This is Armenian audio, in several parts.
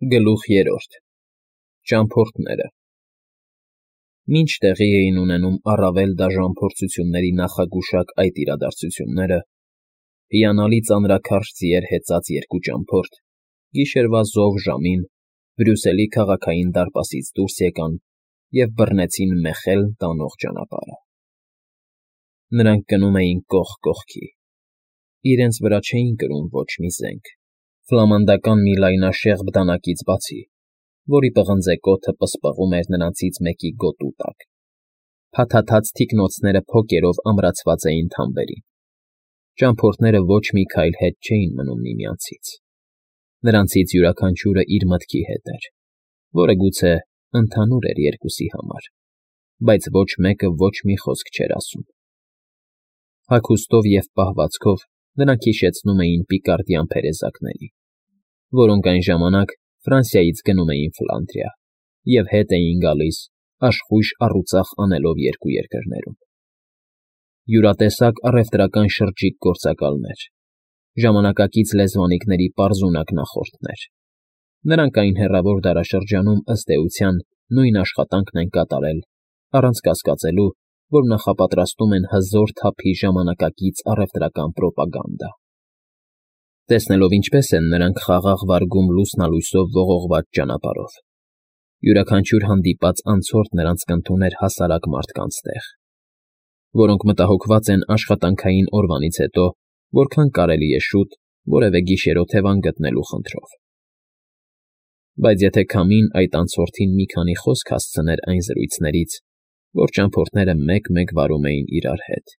Գլուխ 3 Ճամփորդները Մինչ տեղի էին ունենում առավել դաժան փորձությունների նախագուշակ այդ իրադարձությունները, հիանալի ծանրաքարշ ձիեր հեծած երկու ճամփորդ գիշերվա զով ժամին Բրյուսելի քաղաքային դարպասից դուրս եկան և բռնեցին Մեխելն տանող ճանապարհը։ Նրանք գնում էին կողք կողքի, իրենց վրա չէին կրում ոչ մի զենք, ֆլամանդական մի լայնաշեղբ դանակից բացի, որի պղնձե կոթը պսպղում էր նրանցից մեկի գոտու տակ։ Փաթաթած թիկնոցները փոկերով ամրացված էին թամբերին։ Ճամփորդները ոչ մի քայլ հետ չէին մնում միմյանցից։ Նրանցից յուրաքանչյուրը իր մտքի հետ էր, որը գուցե ընդհանուր էր երկուսի համար, բայց ոչ մեկը ոչ մի խոսք չէր ասում։ Հագուստով և պահվածքով նրանք հիշեցնում էին պիկարդյան փերեզակների, որոնք այն ժամանակ Ֆրանսիայից գնում էին Ֆլանդրիա և հետ էին գալիս աշխույժ առուծախ անելով երկու երկրներում։ Յուրատեսակ առևտրական շրջիկ գործակալներ, ժամանակակից լեզվանիկների պարզունակ նախորդներ։ Նրանք այն հեռավոր դարաշրջանում, ըստ էության, նույն աշխատանքն են կատարել, առանց կասկածելու, որ նախապատրաստում են հզոր թափի ժամանակակից առևտրական պրոպագանդա։ Տեսնելով ինչպես են նրանք խաղաղ վարգում լուսնալույսով ողողված ճանապարհով, յուրաքանչյուր հանդիպած անցորդ նրանց կընդուներ հասարակ մարդկանց տեղ, որոնք մտահոգված են աշխատանքային օրվանից հետո որքան կարելի է շուտ որևէ գիշերօթևան գտնելու խնդրով։ Բայց եթե քամին այդ անցորդին մի քանի խոսք հասցներ այն զրույցներից, որ ճամփորդները մեկ֊մեկ վարում էին իրար հետ,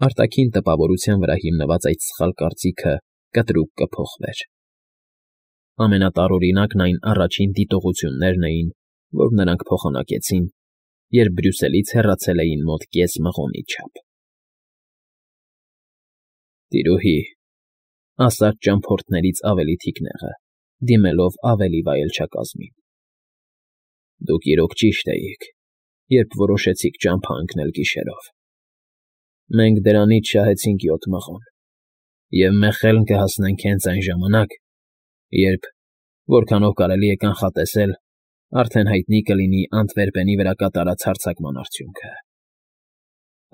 արտաքին տպավորության վրա հիմնված այդ սխալ կարծիքը կտրուկ կփոխվեր։ Ամենատարօրինակն այն առաջին դիտողություններն էին, որ նրանք փոխանակեցին, երբ Բրյուսելից հեռացել էին մոտ կես մղոնի չափ։ Տիրուհի, ասաց ճամփորդներից ավելի թիկնեղը, դիմելով ավելի վայելչակազմին, դուք իրոք ճիշտ էիք, երբ որոշեցիք ճամփա ընկնել գիշերով։ Մենք դրանից շահեցինք 7 մղոն, և Մեխելն կհասնենք հենց այն ժամանակ, երբ, որքանով կարելի է կանխատեսել, արդեն հայտնի կլինի Անտվերպենի վրա կատարած հարձակման արդյունքը։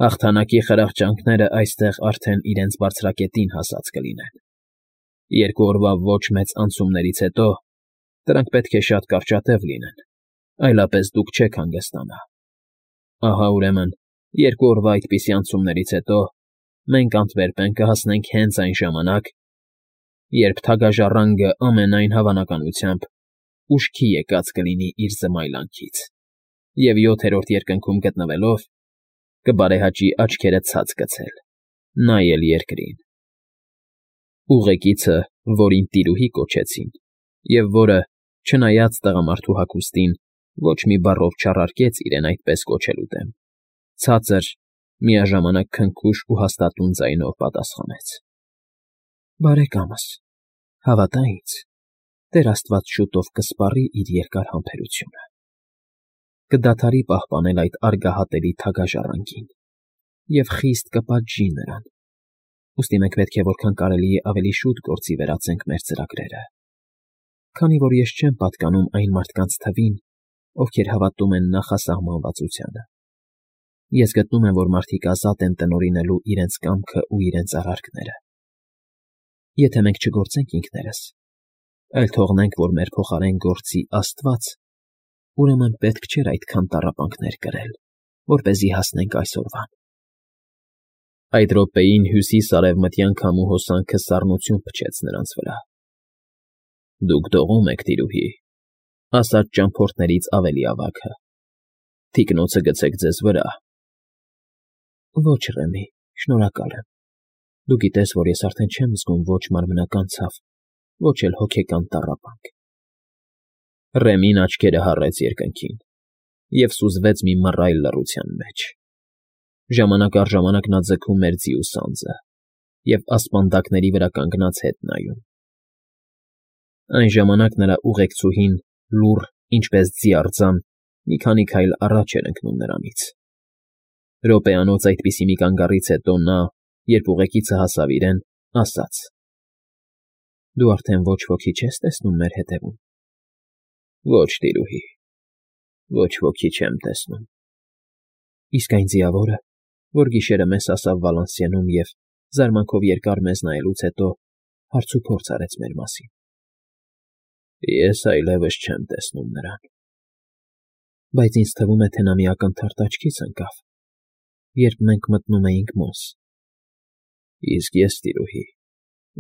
Հաղթանակի խրախճանքներն այստեղ արդեն իրենց բարձրակետին հասած կլինեն։ 2 օրվա ոչ մեծ անցումներից հետո դրանք պետք է շատ կարճատև լինեն, այլապես դուք չեք հանգստանա։ Ահա, ուրեմն, 2 օրվա այդպիսի անցումներից հետո մենք Անտվերպեն կհասնենք հենց այն ժամանակ, երբ թագաժառանգը ամենայն հավանականությամբ ուշքի եկած կլինի իր զմայլանքից և 7-րդ երկնքում գտնվելով կբարեհաճի աչքերը ցած գցել, նայել երկրին։ Ուղեկիցը, որին տիրուհի կոչեցին, և որը, չնայած տղամարդու հագուստին, ոչ մի բառով չառարկեց իրեն այդպես կոչելու դեմ, ցածր, միաժամանակ քնքուշ ու հաստատուն ձայնով պատասխանեց. Բարեկամս, հավատա ինձ, Տեր Աստված շուտով կսպառի իր երկար համբերությունը, կդադարի պահպանել այդ արգահատելի թագաժառանգին և խիստ կպատժի նրան, ուստի մենք պետք է որքան կարելի է ավելի շուտ գործի վերածենք մեր ծրագրերը, քանի որ ես չեմ պատկանում այն մարդկանց թվին, ովքեր հավատում են նախասահմանվածությանը։ Ես գտնում եմ, որ մարդիկ ազատ են տնօրինելու իրենց կամքն ու իրենց արարքները։ Եթե մենք չգործենք ինքներս, այլ թողնենք, որ մեր փոխարեն գործի Աստված, ուրեմն պետք չէր այդքան տառապանքներ կրել, որպեսզի հասնենք այսօրվան։ Այդ րոպեին հյուսիս֊արևմտյան քամու հոսանքը սառնություն փչեց նրանց վրա։ Դուք դողում եք, տիրուհի, ասաց ճամփորդներից ավելի ավագը։ Թիկնոցը գցեք ձեզ վրա։ Ոչ, Ռեմի, շնորհակալ եմ։ Դու գիտես, որ ես արդեն չեմ զգում ոչ մարմնական ցավ, ոչ էլ հոգեկան տառապանք։ Ռեմին աչքերը հառեց երկնքին և սուզվեց մի մռայլ լռության մեջ։ Ժամանակ առ ժամանակ նա ձգում էր ձիու սանձը և ասպանդակների վրա կանգնած հետ նայում։ Այն ժամանակ նրա ուղեկցուհին լուռ, ինչպես ձի արձան, մի քանի քայլ առաջ էր ընկնում նրանից։ Րոպեանոց այդպիսի մի կանգառից հետո նա, երբ ուղեկիցը հասավ իրեն, ասաց. Դու արդեն ոչ ոքի չես տեսնում մեր հետևում։ Ոչ, տիրուհի, ոչ ոքի չեմ տեսնում։ Իսկ այն ձիավորը, որ գիշերը մեզ ասավ Վալանսիենում և զարմանքով երկար մեզ նայելուց հետո հարցուփորձ արեց մեր մասին։ Ես այլևս չեմ տեսնում նրան։ Բայց ինձ թվում է, թե նա մի ակնթարթ աչքից ընկավ, երբ մենք մտնում էինք Մոս։ Իսկ ես, տիրուհի,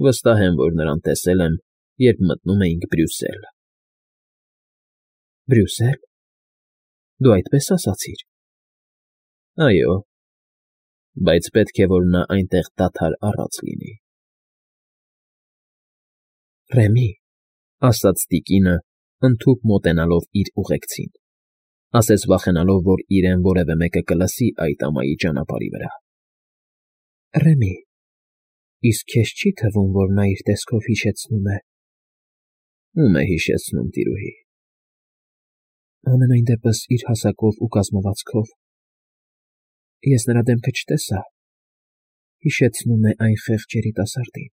վստահ եմ, որ նրան տեսել եմ, երբ մտնում էինք Բրյուսել։ Բրյուսե՞լ։ Դու այդպես ասացիր։ Այո, բայց պետք է, որ նա այնտեղ դադար առած լինի։ Ռեմի, ասաց տիկինը, ընդհուպ մոտենալով իր ուղեկցին, ասես վախենալով, որ իրեն որևէ մեկը կլսի այդ ամայի ճանապարհի վրա։ Ռեմի, իսկ քեզ չի թվում, որ նա իր տեսքով հիշեցնում է։ Ում է հիշեցնում, տիրուհի։ Ամենայն դեպս իր հասակով ու կազմվածքով։ Ես նրա դեմքը չտեսա։ Հիշեցնում է այն խեղճ երիտասարդին։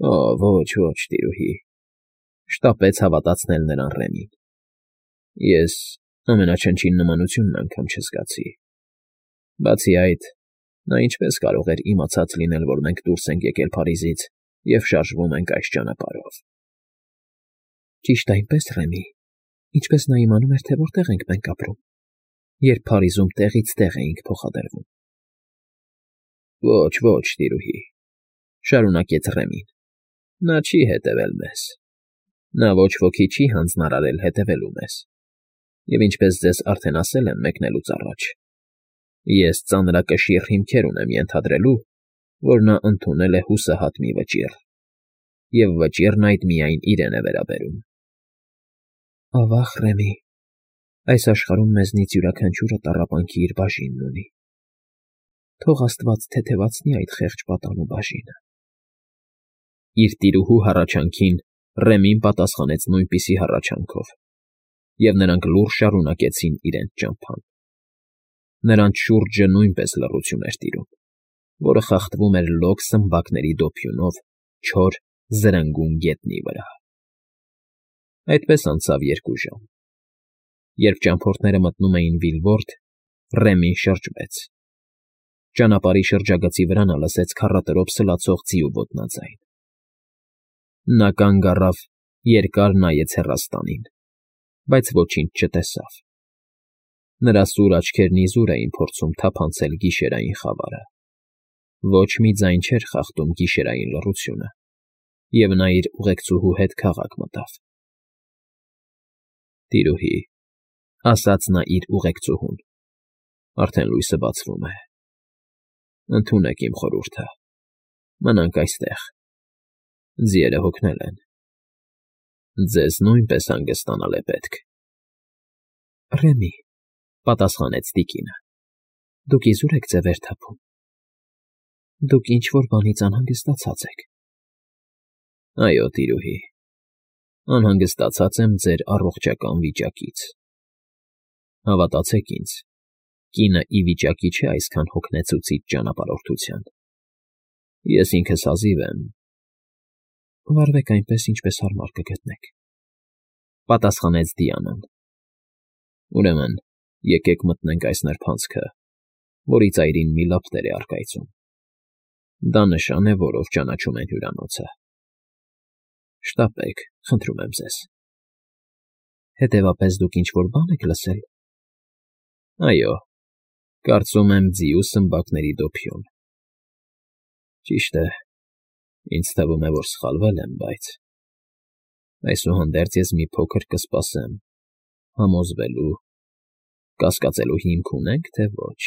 Օ, ոչ, տիրուհի, շտապեց հավատացնել նրան Ռեմին։ Ես ամենաչնչին նմանությունն անգամ չզգացի։ Բացի այդ, նա ինչպես կարող էր իմացած լինել, որ մենք դուրս ենք եկել Փարիզից և շարժվում ենք այս ճանապարհով։ Ճիշտ այնպես, Ռեմի, ինչպես նա իմանում էր, թե որտեղ ենք մենք ապրում, երբ Փարիզում տեղից տեղ էինք փոխադրվում։ Ոչ, տիրուհի, շարունակեց Ռեմին, նա չի հետևել մեզ։ Նա ոչ ոքի չի հանձնարարել հետևելու մեզ։ Եվ ինչպես ձեզ արդեն ասել եմ մեկնելուց առաջ, ես ծանրակշիռ հիմքեր ունեմ ենթադրելու, որ նա ընդունել է հուսահատ մի վճիռ, և վճիռն այդ միայն իրեն է վերաբերում։ Ավա՜ղ, Ռեմի, այս աշխարհում մեզնից յուրաքանչյուրը տառապանքի իր բաժինն ունի։ Թող աստված թեթևացնի այդ խեղճ պատանու բաժինը։ Իր տիրուհու հառաչանքին Ռեմին պատասխանեց նույնպիսի հառաչանքով, և նրանք լուռ շարունակեցին իրենց ճամփան։ Նրանց շուրջը նույնպես լռություն էր տիրում, որը խախտվում էր լոկ սմբակների դոփյունով չոր, զրնգուն գետնի վրա։ Այդպես անցավ 2 ժամ։ Երբ ճամփորդները մտնում էին Վիլվորդ, Ռեմին շրջվեց։ Ճանապարհի շրջագծի վրա նա լսեց քառատրոփ սլացող ձիու ոտնաձայն։ Նա կանգ առավ, երկար նայեց հեռաստանին, բայց ոչինչ չտեսավ։ Նրա սուր աչքերն իզուր էին փորձում թափանցել գիշերային խավարը։ Ոչ մի ձայն չէր խախտում գիշերային լռությունը, և նա իր ուղեկցուհու հետ քաղաք մտավ։ Տիրուհի, ասաց նա իր ուղեկցուհուն, արդեն լույսը բացվում է։ Ընդունեք իմ խորհուրդը, մնանք այստեղ։ Ձիերը հոգնել են։ Ձեզ նույնպես հանգստանալ է պետք։ Ռեմի, պատասխանեց տիկինը, դուք իզուր եք ձևեր թափում։ Դուք ինչ-որ բանից անհանգստացած եք։ Այո, տիրուհի, անհանգստացած եմ ձեր առողջական վիճակից։ Հավատացեք ինձ, կինը ի վիճակի չէ այսքան հոգնեցուցիչ ճանապարհորդության։ Ես ինքս հազիվ եմ։ Վարվեք այնպես, ինչպես հարմար կգտնեք, պատասխանեց Դիանան։ Ուրեմն, եկեք մտնենք այս նրբանցքը, որի ծայրին մի լապտեր է առկայծում։ Դա նշան է, որով ճանաչում են հյուրանոցը։ Շտապեք, խնդրում եմ ձեզ։ Հետևապես դուք ինչ-որ բան եք լսել։ Այո, կարծում եմ ձիու սմբակների դոփյուն։ Ճիշտ է, ինձ թվում է, որ սխալվել եմ, բայց… Այսուհանդերձ ես մի փոքր կսպասեմ, համոզվելու, կասկածելու հիմք ունե՞նք, թե ոչ։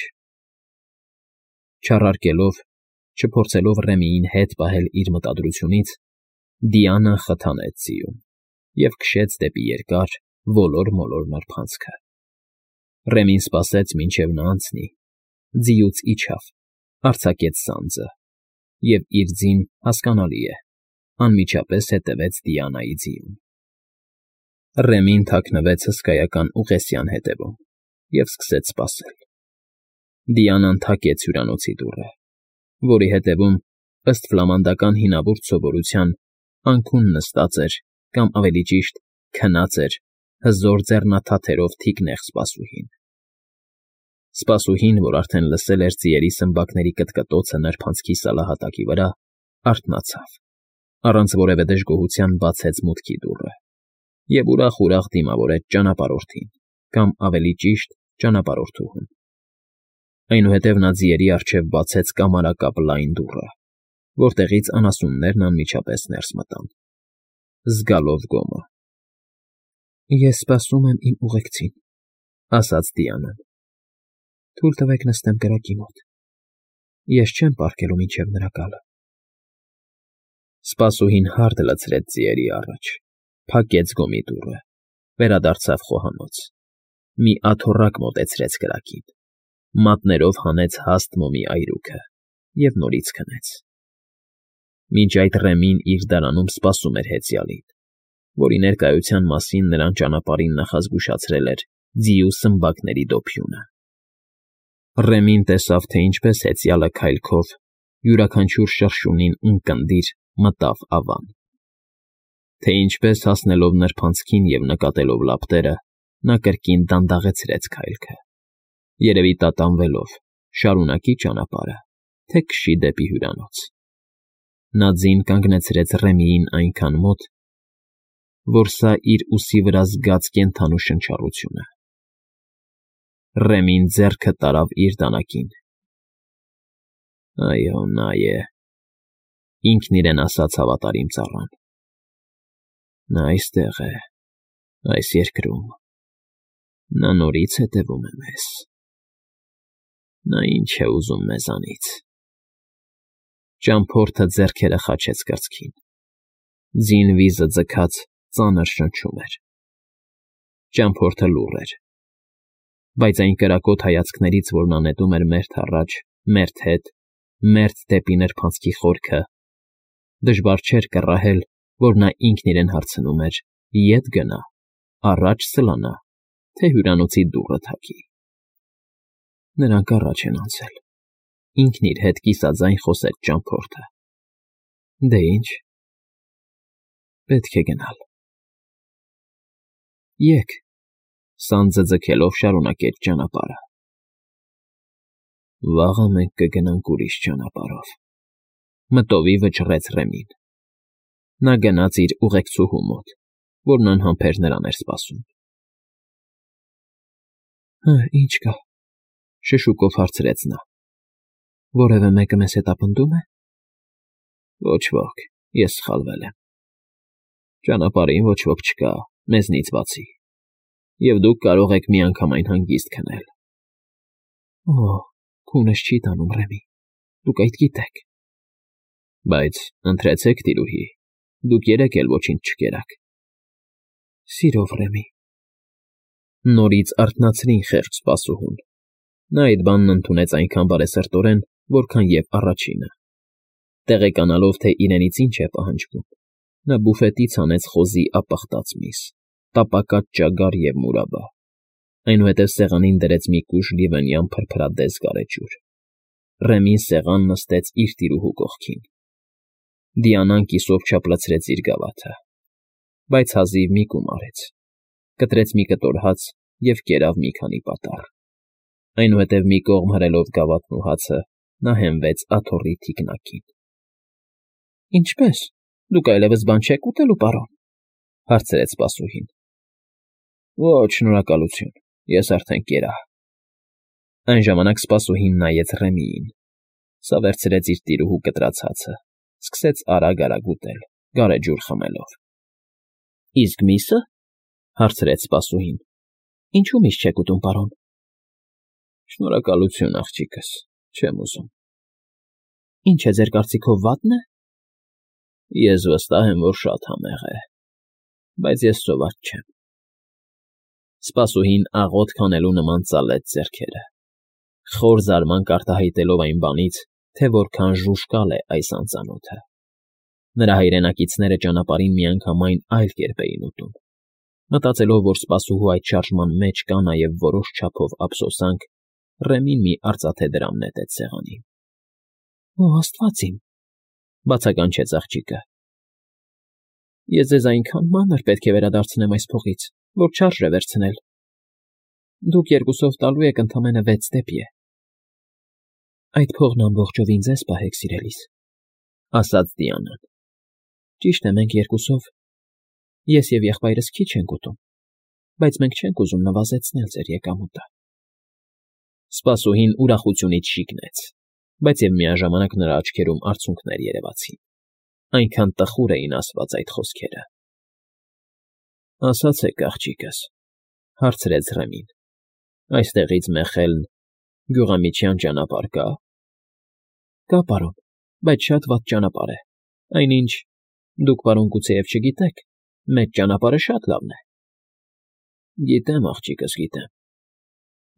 Չառարկելով, չփորձելով Ռեմիին հետ պահել իր մտադրությունից, Դիանան խթանեց ձիուն և քշեց դեպի երկար, ոլոր-մոլոր նրբանցքը։ Ռեմին սպասեց, մինչև նա անցնի, ձիուց իջավ, արձակեց սանձը և իր ձին, հասկանալի է, անմիջապես հետևեց Դիանայի ձիուն։ Ռեմին թաքնվեց հսկայական ուղեսյան հետևում և սկսեց սպասել։ Դիանան թակեց հյուրանոցի դուռը, որի հետևում, ըստ ֆլամանդական հինավուրց սովորության, անքուն նստած էր կամ ավելի ճիշտ, քնած էր հզոր ձեռնաթաթերով թիկնեղ սպասուհին։ Սպասուհին, որ արդեն լսել էր ձիերի սմբակների կտկտոցը նրբանցքի սալահատակի վրա, արթնացավ, առանց որևէ դժգոհության բացեց մուտքի դուռը և ուրախ դիմավորեց ճանապարհորդին, կամ ավելի ճիշտ ճանապարհորդուհուն։ Այնուհետև նա ձիերի առջև բացեց կամարակապ լայն դուռը, որտեղից անասուններն անմիջապես ներս մտան, զգալով գոմը։ «Ես սպասում եմ իմ ուղեկցին», ասաց Դիանան։ «Թույլ տվեք նստեմ կրակի մոտ։ Ես չեմ պառկելու մինչև նրա գալը»։ Սպասուհին հարդ լցրեց ձիերի առաջ, փակեց գոմի դուռը, վերադարձավ խոհանոց, մի աթոռակ մոտեցրեց կրակին, մատներով հանեց հաստ մոմի այրուքը և նորից քնեց։ Մինչ այդ Ռեմին իր դարանում սպասում էր հեծյալին, որի ներկայության մասին նրան ճանապարհին նախազգուշացրել էր ձիու սմբակների դոփյունը։ Ռեմին տեսավ, թե ինչպես հեծյալը քայլքով յուրաքանչյուր շրշյունին ունկնդիր մտավ ավան, թե ինչպես հասնելով նրբանցքին և նկատելով լապտերը, նա կրկին դանդաղեցրեց քայլքը, երևի տատանվելով շարունակի ճանապարհը, թե քշի դեպի հյուրանոց։ Նա ձին կանգնեցրեց Ռեմիին այնքան մոտ, որ սա իր ուսի վրա զգաց կենդանու շնչառությունը։ Ռեմին ձեռքը տարավ իր դանակին։ «Այո, նա է», ինքն իրեն ասաց հավատարիմ ծառան։ «Նա այստեղ է, այս երկրում, նա նորից հետևում է մեզ։ Նա ինչ է ուզում մեզանից»։ Ճամփորդը ձեռքերը խաչեց կրծքին։ Ձին վիզը ձգած ծանր շնչում էր։ Ճամփորդը լուռ էր, բայց այն կրակոտ հայացքներից, որ նա նետում էր մերթ առաջ, մերթ հետ, մերթ դեպի նրբանցքի խորքը, դժվար չէր կռահել, որ նա ինքն իրեն հարցնում էր. ետ գնա, առաջ սլանա, թե հյուրանոցի դուռը թակի։ Նրանք առաջ են անցել, ինքն իր հետ կիսաձայն խոսեց ճամփորդը։ Դե ինչ, պետք է գնալ։ Եկ, սանձը ձգելով շարունակեց ճանապարհը։ Վաղը մենք կգնանք ուրիշ ճանապարհով, մտովի վճռեց Ռեմին։ Նա գնաց իր ուղեկցուհու մոտ, որն անհամբեր նրան էր սպասում։ Ինչ կա, շշուկով հարցրեց նա։ Որևէ մեկը մեզ հետապնդում է։ Ոչ ոք, ես սխալվել եմ։ Ճանապարհին ոչ ոք չկա, մեզնից բացի, և դուք կարող եք միանգամայն հանգիստ քնել։ Օ, քունս չի տանում, Ռեմի, դուք այդ գիտեք։ Բայց ընթրեցեք, տիրուհի, դուք երեկ էլ ոչինչ չկերաք։ Սիրով, Ռեմի։ Նորից արթնացրին խեղճ սպասուհուն։ Նա այդ բանն ընդունեց այնքան բարեսրտորեն, որքան և առաջինը։ Տեղեկանալով, թե իրենից ինչ է պահանջվում, նա բուֆետից հանեց խոզի ապխտած միս, տապակած ճագար և մուրաբա, այնուհետև սեղանին դրեց մի կուժ լիվենյան փրփրադես գարեջուր։ Ռեմին սեղան նստեց իր տիրուհու կողքին։ Դիանան կիսով չափլցրեց իր գավաթը, բայց հազիվ մի կում արեց, կտրեց մի կտոր հաց և կերավ մի քանի պատառ։ Այնուհետև մի կողմ հրելով գավաթն ու հացը, նա հենվեց աթոռի թիկնակին։ Ինչպե՞ս, դուք այլևս բան չեք ուտելու, պարոն, հարցրեց սպասուհին։ Ոչ, շնորհակալություն, ես արդեն կերա։ Այն ժամանակ սպասուհին նայեց Ռեմիին, սա վերցրեց իր տիրուհու կտրած հացը, սկսեց արագ ուտել, գարեջուր խմելով։ Իսկ միսը, հարցրեց սպասուհին։ Ինչու միս չեք ուտում, պարոն։ Շնորհակալություն, աղջիկս, չեմ ուզում։ Ինչ է ձեր կարծիքով վատն է։ Ես վստահ եմ, որ շատ համեղ է, բայց ես սոված չեմ։ Սպասուհին աղոթք անելու նման ծալեց ձեռքերը, խոր զարմանք արտահայտելով այն բանից, թե որքան ժուժկալ է այս անծանոթը։ Նրա հայրենակիցները ճանապարհին միանգամայն այլ կերպ էին ուտում։ Մտածելով, որ սպասուհու այդ շարժման մեջ կա նաև որոշ չափով ափսոսանք, Ռեմին մի արծաթե դրամ նետեց սեղանին։ Օ, Աստված իմ, բացականչեց աղջիկը։ Ես ձեզ այնքան մանր պետք է վերադարձնեմ այս փողից, որ չարժե վերցնել։ Դուք երկուսով տալու եք ընդամենը 6 դեպի է։ Այդ փողն ամբողջովին ձեզ պահեք, սիրելիս, ասաց Դիանան։ Ճիշտ է, մենք երկուսով, ես և եղբայրս քիչ ենք ուտում, բայց մենք չենք ուզում նվազեցնել ձեր եկամուտը։ Սպասուհին ուրախությունից շիկնեց, բայց և միաժամանակ նրա աչքերում արցունքներ երևացին։ Այնքան տխուր էին ասված այդ խոսքերը։ Ասացեք, աղջիկս, հարցրեց Ռեմին, այստեղից Մեխելն գյուղամիջյան ճանապարհ կա։ Կա, պարոն, բայց շատ վատ ճանապարհ է, այնինչ դուք, պարոն, գուցեև չգիտեք, մեծ ճանապարհը շատ լավն է։ Գիտեմ, աղջիկս, գիտեմ,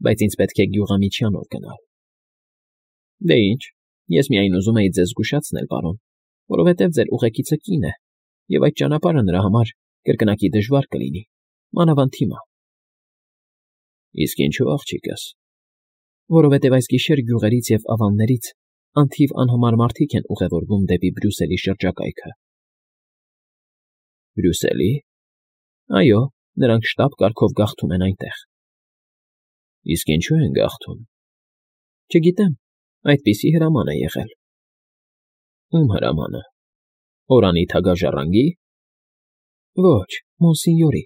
բայց ինձ պետք է գյուղամիջյանով գնալ։ Դե ինչ, ես միայն ուզում էի ձեզ զգուշացնել, պարոն, որովհետև ձեր ուղեկիցը կին է, և այդ ճանապարհը նրա համար կրկնակի դժվար կլինի, մանավանդ հիմա։ Իսկ ինչու, աղջիկս։ Որովհետև այս գիշեր գյուղերից և ավաններից անթիվ անհամար մարդիկ են ուղևորվում դեպի Բրյուսելի շրջակայքը։ Բրյուսելի։ Այո, նրանք շտապ կարգով գաղթում են այնտեղ։ Իսկ ինչու են գաղթում։ Չգիտեմ, այդպիսի հրաման է եղել։ Ում հրամանը։ Օրանի թագաժառանգի։ Ոչ, մոնսինյորի։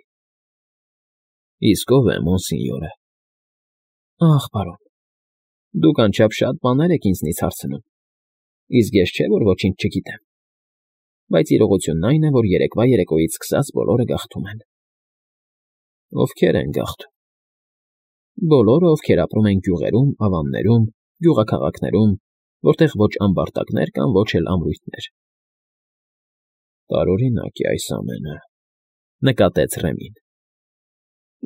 Իսկ ով է մոնսինյորը։ Ախ, պարոն, դուք անչափ շատ բաներ եք ինձնից հարցնում, իսկ ես չէ, որ ոչինչ չգիտեմ, բայց իրողությունն այն է, որ երեկվա երեկոյից սկսած բոլորը գաղթում են։ Ովքեր են գաղթում։ Բոլորը, ովքեր ապրում են գյուղերում, ավաններում, գյուղաքաղաքներում, որտեղ ոչ ամբարտակներ կան, ոչ էլ ամրույթներ։ Տարօրինակ է այս ամենը, նկատեց Ռեմին։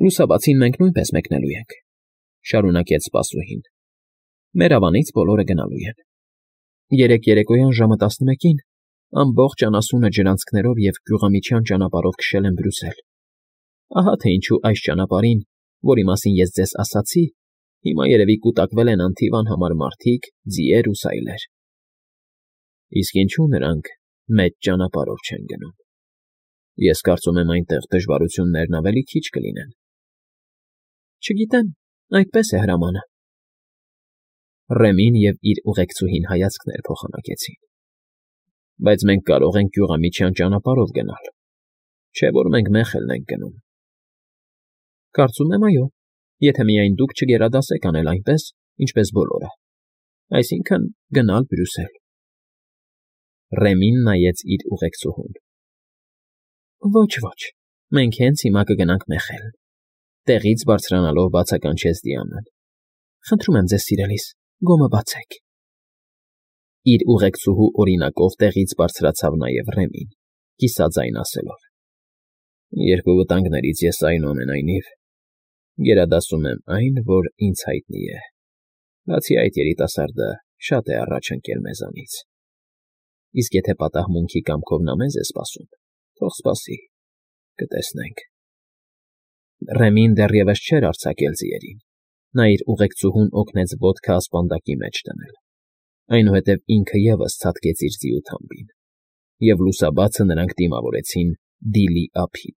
Լուսաբացին մենք նույնպես մեկնելու ենք, շարունակեց սպասուհին։ Մեր ավանից բոլորը գնալու են։ Երեկ երեկոյան ժամը 11-ին ամբողջ անասունը ջրանցքներով և գյուղամիջյան ճանապարհով քշել են Բրյուսել։ Ահա թե ինչու այս ճանապարհին, որի մասին ես ձեզ ասացի, հիմա երևի կուտակվել են անթիվ անհամար մարդիկ, ձիեր ու սայլեր։ Իսկ ինչու նրանք մեծ ճանապարհով չեն գնում։ Ես կարծում եմ այնտեղ դժվարություններն ավելի քիչ կլինեն։ Չգիտեմ, այդպես է հրամանը։ Ռեմին և իր ուղեկցուհին հայացքներ փոխանակեցին։ Բայց մենք կարող ենք գյուղամիջյան ճանապարհով գնալ, չէ՞ որ մենք Մեխելն ենք գնում։ Կարծում եմ, այո, եթե միայն դուք չգերադասեք անել այնպես, ինչպես բոլորը, այսինքն գնալ Բրյուսել։ Ռեմին նայեց իր ուղեկցուհուն։ Ոչ, մենք հենց հիմա կգնանք Մեխել։ Տեղից բարձրանալով բացականչեց Դիանան։ Խնդրում եմ ձեզ, սիրելիս, գոմը բացեք։ Իր ուղեկցուհու օրինակով տեղից բարձրացավ նաև Ռեմին, կիսաձայն ասելով. Երկու վտանգներից ես այնուամենայնիվ գերադասում եմ այն, որ ինձ հայտնի է։ Բացի այդ, երիտասարդը շատ է առաջ ընկել մեզանից։ Իսկ եթե պատահմունքի կամքով նա մեզ է սպասում, թող սպասի, կտեսնենք։ Ռեմին դեռևս չէր արձակել ձիերին։ Նա իր ուղեկցուհուն օգնեց ոտքը ասպանդակի մեջ դնել, այնուհետև ինքը ևս ցատկեց իր ձիու թամբին, և լուսաբացը նրանք դիմավորեցին Դիլի ափին։